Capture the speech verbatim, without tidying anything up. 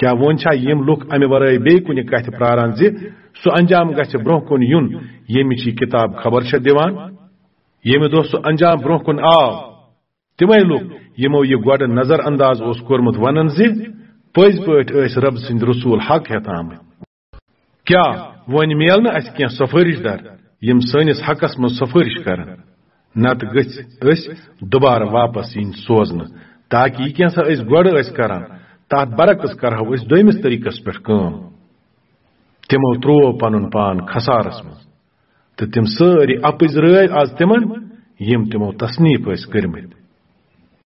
کیٛاہ وۄنۍ چھا یِم لُکھ امہِ ورٲے بیٚیہِ کُنہِ کتھِ پراران زِ سُہ انجام گژھِ برونٛہہ کُن یُن، ییٚمِچ یہِ کتاب خبر چھےٚ دِوان؟ ییٚمہِ دۄہ سُہ انجام برونٛہہ کُن آو، تِمے لُکھ، یِمو یہِ گۄڈٕ نظر انداز اوس کوٚرمُت، ونن زِ پٔزۍ پٲٹھۍ ٲسۍ رب سٕنٛدۍ رسول حق ہٮ۪تھ آمٕتۍ۔ کیٛاہ وۄنۍ میل نہٕ اسہِ کینٛہہ سفٲرش در، یِم سٲنِس حقس منٛز سفٲرش کرن؟ نتہٕ گٔژھۍ أسۍ دُبارٕ واپس یِنۍ سوزنہٕ، تاکہ یہِ کینٛہہ سا أسۍ گۄڈٕ ٲسۍ کران، تتھ برعکس کرہو أسۍ دوٚیمِس طریقس پٮ۪ٹھ کٲم۔ تِمو تروو پنُن پان خسارس منٛز، تہٕ تِم سٲری اپٕز رٲوۍ از تِمن، یِم تِمو تصنیف ٲسۍ کٔرمٕتۍ۔